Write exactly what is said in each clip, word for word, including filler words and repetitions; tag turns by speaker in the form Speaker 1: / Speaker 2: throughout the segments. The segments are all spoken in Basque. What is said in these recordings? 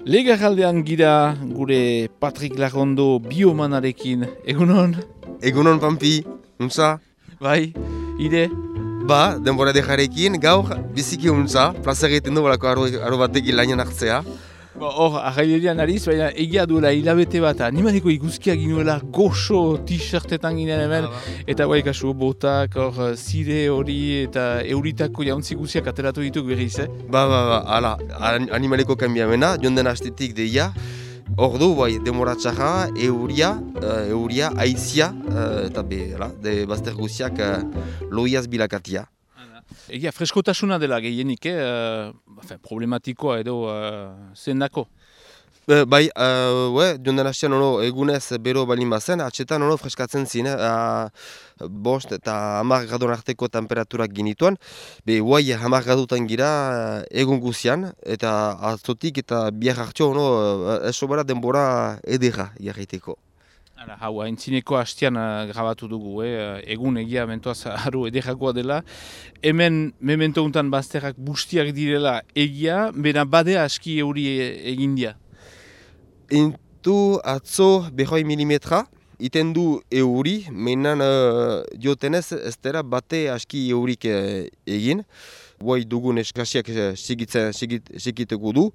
Speaker 1: Legarraldean gira gure Patrik Larrondo biomanarekin. Egunon?
Speaker 2: Egunon, Pampi, untza?
Speaker 1: Bai, ide?
Speaker 2: Ba, denbora dejarekin, gaur biziki untza, plaza egiten du balako aro, aro batekin lainan hartzea.
Speaker 1: Ba, hor, arrailerian ariz, baina egia duela hilabete bat, animaleko iguzkia ginuela goxo t-shirtetan ginen hemen, eta bai kasu botak, hor, zire hori eta euritako jauntzi guziak ateratu dituk berriz, eh?
Speaker 2: Ba, ba, ba, ala, animaleko kanbiamena, jonden hastetik deia, hor du, bai, demora txarra, euria, uh, euria, aizia, uh, eta be, ala, de bazter guziak uh, loiaz bilakatia.
Speaker 1: Egia, freskotasuna dela gehienik, eh? Uh, problematikoa edo uh, zendako?
Speaker 2: Uh, bai, uh, we, jonden hastean ono egunez bero balin bazen, atxetan ono freskatzen zine, uh, bost eta hamar gradon arteko temperaturak ginituan, be, guai hamar gradutan gira uh, egun guzian, eta atzotik eta biar hartio ono uh, esobara denbora edera jarraiteko.
Speaker 1: Hala, hau, haintzineko hastian uh, grabatu dugu, eh? Egun egia mentoaz haru ederakoa dela. Hemen, memento untan bazterrak bustiak direla egia, bena badea aski euri egin dia.
Speaker 2: Intu atzo behoi milimetra, iten du euri, menan uh, diotenez ez dira bate aski eurik uh, egin. Guai dugun eskasiak segiteko du.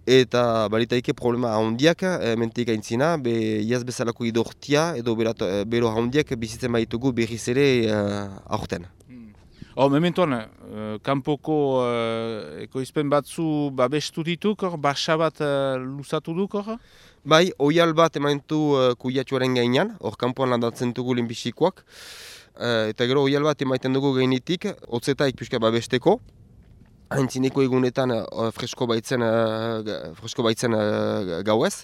Speaker 2: Eta balitaike problema handiak, e, mentik aintzina, be iaz bezalako idortia edo berato, e, bero handiak bizitzen baitugu berriz ere uh, aurten.
Speaker 1: Hmm. Oh, mementoan, uh, kanpoko uh, ekoizpen batzu babestu dituk, hor, basa bat uh, luzatu duk, hor?
Speaker 2: Bai, oial bat emantu uh, kuiatuaren gainean, hor kanpoan landatzen dugu lehenbizikoak. Uh, eta gero oial bat emaiten dugu gainetik, hotzetaik pixka babesteko. Haintzineko egunetan uh, fresko baitzen, uh, fresko baitzen uh, gauez.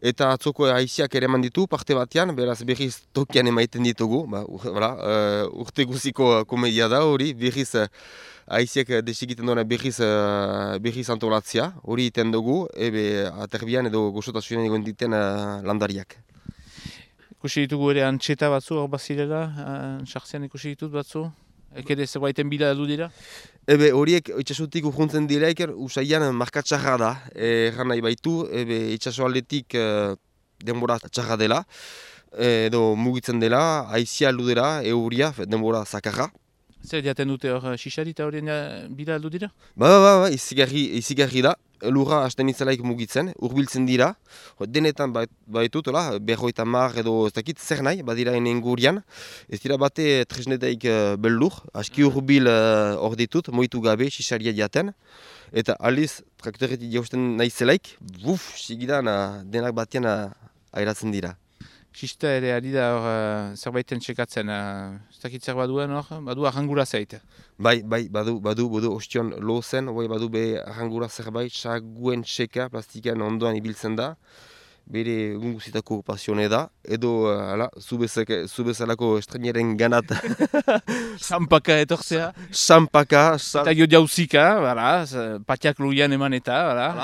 Speaker 2: Eta atzoko haiziak ere eman ditu parte batean, beraz berriz tokian emaiten ditugu. Ba, ur, voilà, uh, urte guziko komedia da hori, berriz uh, haiziak desigiten duena berriz, uh, berriz antolatzea. Hori iten dugu, ebe aterbian edo goxotasunen egon diten uh, landariak.
Speaker 1: Ikusi ditugu ere antxeta batzu, hor bazirela, sartzean ikusi ditut batzu? Ekede zerbaiten bila du dira?
Speaker 2: Ebe horiek itxasutik urruntzen direik usaian markatxarra da. Erran nahi baitu, ebe itxasoaldetik e, denbora txarra dela, edo mugitzen dela, haizia aldu dela, euria, denbora zakarra.
Speaker 1: Zer diaten dute hor xixari eta horien bila aldu dira?
Speaker 2: Ba, ba, ba, izigarri, izigarri da. Lurra hasten itzelaik mugitzen, urbiltzen dira. Denetan baitut, berroita mar edo ez dakit zer nahi, badira enen gurian. Ez dira bate tresnetaik beldur, aski urbil hor uh, ditut, moitu gabe, xixaria diaten. Eta aliz, traktoretik jausten nahi zelaik, buf, sigidan uh, denak batean uh, airatzen dira.
Speaker 1: Xista ere ari da hor uh, zerbaiten txekatzen, uh, ez dakit zer baduen hor, badu arrangura zaite.
Speaker 2: Bai, bai, badu, badu, badu, ostion lo zen, bai, badu be arrangura zerbait, saguen txeka, plastikan ondoan ibiltzen da, bere gunguzitako pasione da, edo, ala, zubezalako estreneren ganat.
Speaker 1: Sampaka etortzea.
Speaker 2: Sampaka.
Speaker 1: Eta jo jauzika, patiak luian eman eta,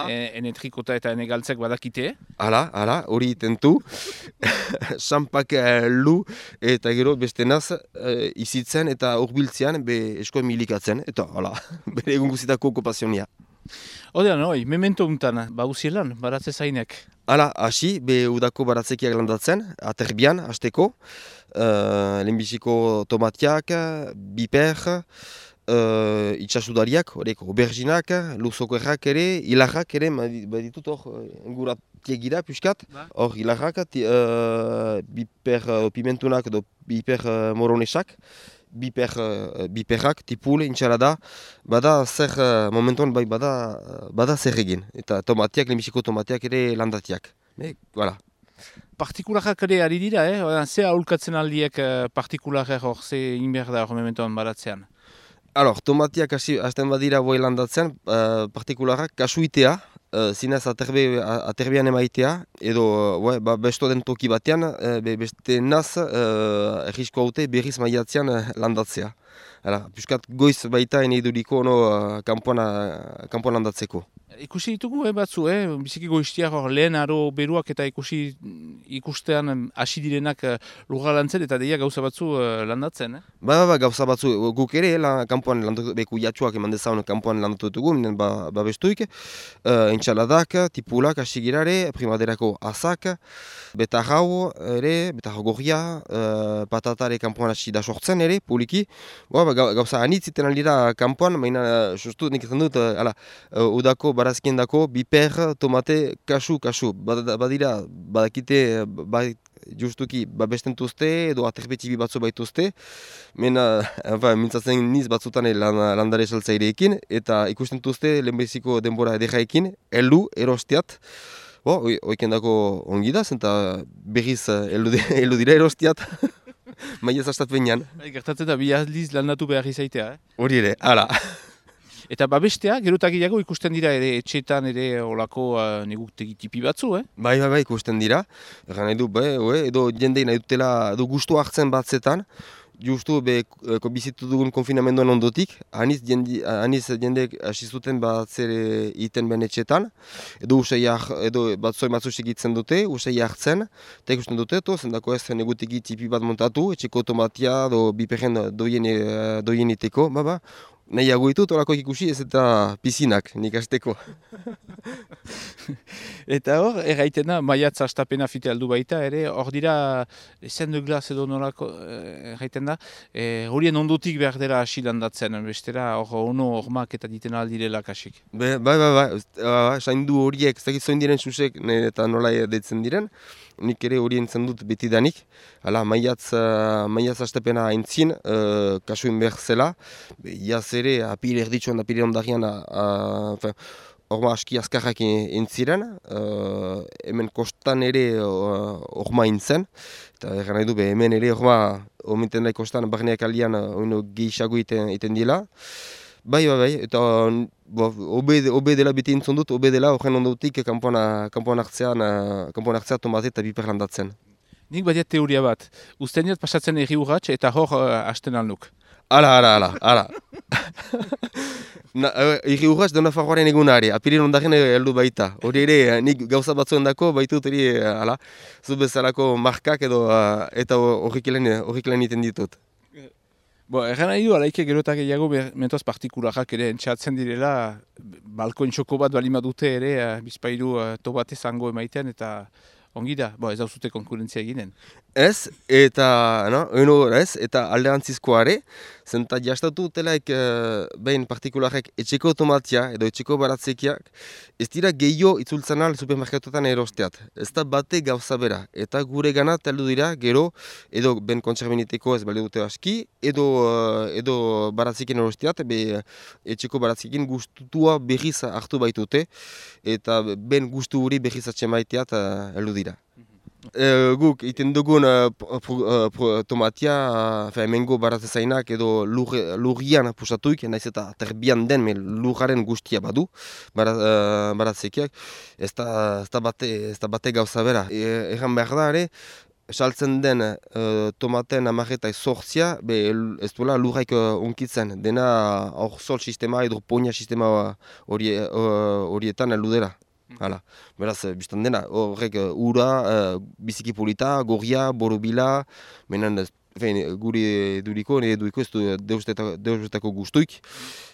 Speaker 1: e, ene trikota eta ene galtzak badakite.
Speaker 2: Hala, hala, hori itentu. Sampaka lu, eta gero beste naz, e, izitzen eta urbiltzean, be eskoen milikatzen, eta, hala, bere gunguzitako pasionia.
Speaker 1: Odean, oi, memento untan, bauzielan, baratze zainek.
Speaker 2: Hala, hasi, be udako baratzekiak landatzen, aterbian, hasteko. Uh, lehenbiziko tomatiak, biper, uh, itxasudariak, horrek, auberginak, luzoko errak ere, hilarrak ere, baditut hor, enguratiek gira, piskat. Hor, hilarrak, uh, biper uh, pimentunak edo biper uh, moronesak. Biper, uh, biperrak, tipul, intxalada, bada zer, uh, momentuan bai bada, uh, bada zer egin. Eta tomatiak, lehenbiziko tomatiak ere landatiak. E, voilà.
Speaker 1: Partikularrak ere ari dira, eh? Ze aholkatzen aldiek uh, partikularrak hor, ze inber da hor momentuan baratzean?
Speaker 2: Alors, tomatiak hasten badira boi landatzen, uh, partikularrak kasuitea, uh, zinez aterbe, aterbean emaitea, edo uh, ba, besto den toki batean, uh, be, beste naz uh, errisko haute berriz maiatzean uh, landatzea. Hala, puskat goiz baita ene iduriko no, uh, kampuan, uh, kampuan landatzeko.
Speaker 1: Ikusi ditugu eh, batzu, eh? Biziki goiztiak hor lehen aro beruak eta ikusi ikustean hasi direnak uh, lurra lantzen eta deia gauza batzu uh, landatzen. Eh?
Speaker 2: Ba, ba, ba, gauza batzu, guk ere, la, kanpoan landatu, beku jatsuak eman dezaun kanpoan landatu dugu, minen ba, ba bestuik, uh, entxaladak, tipulak, asigirare, primaderako azak, betarrau ere, betarrau gorria, uh, patatare kanpoan hasi da sortzen ere, poliki. Ba, ba, gauza anitziten aldira kanpoan, baina, sustu, nik ezan dut, uh, ala, uh, udako barazkien dako, biper, tomate, kasu, kasu. Badira, badakite, bad, justuki babestentuzte edo aterbetxibi batzu baituzte. Mena, enfin, mintzatzen niz batzutan lan, landare saltzaireekin, eta ikustentuzte lehenbeziko denbora ederaekin, heldu, erostiat. Bo, oiken dako ongi da, zenta berriz heldu dira erostiat. Maia zastat behinan.
Speaker 1: Gertatzen da, bi aldiz landatu behar izaitea, eh?
Speaker 2: Hori ere, ala.
Speaker 1: Eta babestea, gerutakiago ikusten dira ere etxetan ere olako uh, negutegi tipi batzu, eh?
Speaker 2: Bai, bai, bai, ikusten dira. Egan nahi du, bai, edo jendei nahi dutela, edo gustu hartzen batzetan, justu be bizitu dugun konfinamenduan ondotik, aniz jende, aniz jendek hasi zuten batzere iten ben etxetan, edo usai edo batzoi batzu segitzen dute, usai hartzen, eta ikusten dute, to, zendako ez negutegi tipi bat montatu, etxeko tomatia, do biperren doien, doien iteko, ba, ba. Nahiago ditut, horako ikusi ez eta pizinak, nik azteko.
Speaker 1: Eta hor, erraiten da, maiatz astapena fite aldu baita, ere, hor dira, esen de glas edo norako, erraiten da, horien ondotik behar dela hasi landatzen, bestera, hor ono hormak eta diten aldirela kasik.
Speaker 2: Bai, bai, bai, saindu horiek, ez dakit zoin diren susek, eta nola deitzen diren, nik ere horien zendut betidanik. Hala, maiatz, uh, maiatz astapena aintzin, uh, kasuin behar zela, iaz ere, apire erditxoan, apire ondarian, horma aski azkarrak entziren, uh, hemen kostan ere horma uh, intzen, eta erran nahi du, be, hemen ere horma, ominten nahi kostan, barneak alian, uh, gehiago iten, iten dila. Bai, bai, bai, eta bo, obe, obe dela beti entzun dut, obe dela horren ondotik kanpoan hartzean, kanpoan hartzea tomate eta biper landatzen.
Speaker 1: Nik badiat teoria bat, usten diat pasatzen erri urratx eta hor uh, hasten alduk.
Speaker 2: Ala, ala, ala, ala. Erri urratx da Nafarroaren egunare, apirin ondaren heldu baita. Hori ere, nik gauza batzuen dako, baitut eri, ala, zu bezalako markak edo, uh, eta horrikelen iten ditut.
Speaker 1: Bo, erran nahi du, alaike gerotak egiago mentoaz partikularak ere entxatzen direla, balkoen txoko bat balima dute ere, bizpairu uh, tobate zango emaiten eta ongi da, bo, ez dauzute konkurentzia eginen.
Speaker 2: Ez, eta, no, eno, ez, eta alderantzizkoare, zenta jastatu dutelaik uh, behin partikularek etxeko tomatia edo etxeko baratzekiak, ez dira gehiago itzultzen al supermerkatuetan erosteat. Ez da bate gauza bera, eta gure gana taldu dira gero, edo ben kontserbiniteko ez bale dute aski, edo, uh, edo baratzekin erosteat, be etxeko baratzekin gustutua berriz hartu baitute, eta ben gustu hori berriz atxemaiteat uh, heldu dira. Uh, guk iten dugun uh, uh, tomatia uh, hemengo baratzezainak edo lur, lurrian pusatuik, naiz eta terbian den lurraren guztia badu bara, uh, baratzekiak, ez da bate, bate gauza bera. E, Egan behar da ere, saltzen den uh, tomaten amarreta ezortzia, ez duela lurraik uh, unkitzen, dena hor sol sistema edo ponia sistema hori, uh, horietan heldu dela. Hala, beraz, biztan dena, horrek ura, uh, biziki polita, gorria, borobila, menen, fein, guri duriko, nire duriko ez du deustetako guztuik,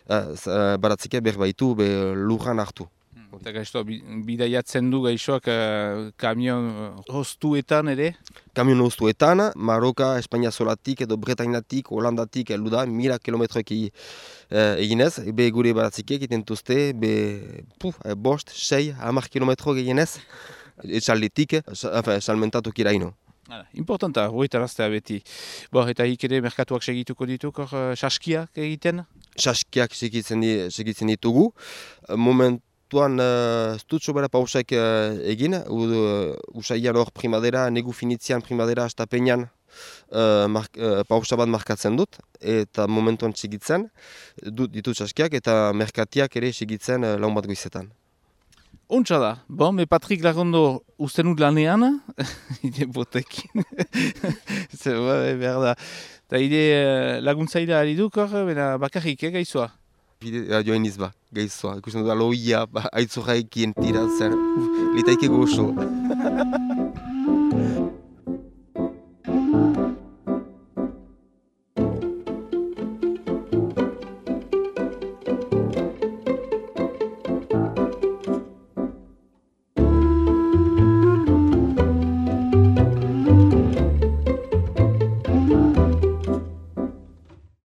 Speaker 2: uh, baratzekia berbaitu, be lurran hartu.
Speaker 1: Eta gaiztoa, bidaiatzen du gaixoak uh, kamion hostuetan ere?
Speaker 2: Kamion hostuetan, Maroka, Espainia zolatik edo Bretainatik, Holandatik heldu da, mila kilometroek uh, eginez, be gure baratzikiek itentuzte, be puf, bost, sei, hamar kilometro eginez, etxaldetik, salmentatuak iraino.
Speaker 1: Importanta, hori taraztea beti. Bo, eta hik ere merkatuak segituko dituk, hor, saskiak egiten?
Speaker 2: Saskiak segitzen ditugu. Moment Tuan uh, stutxo bera pausaik uh, egin, uh, usaian hor primadera, negu finitzian primadera astapenean uh, uh, pausa bat markatzen dut, eta momentuan segitzen, dut ditut saskiak eta merkatiak ere segitzen uh, laun bat goizetan.
Speaker 1: Ontsa da, bon, me Patrik Lagondo usten dut lanean, ide botekin, zer behar da. Eta ide laguntzaila ari duk hor, bakarrik, eh, gaizoa?
Speaker 2: Bidea joan izba, gaizoa. Ikusten dut aloia, ba, aitzorraikien tiratzen. Litaike gozo.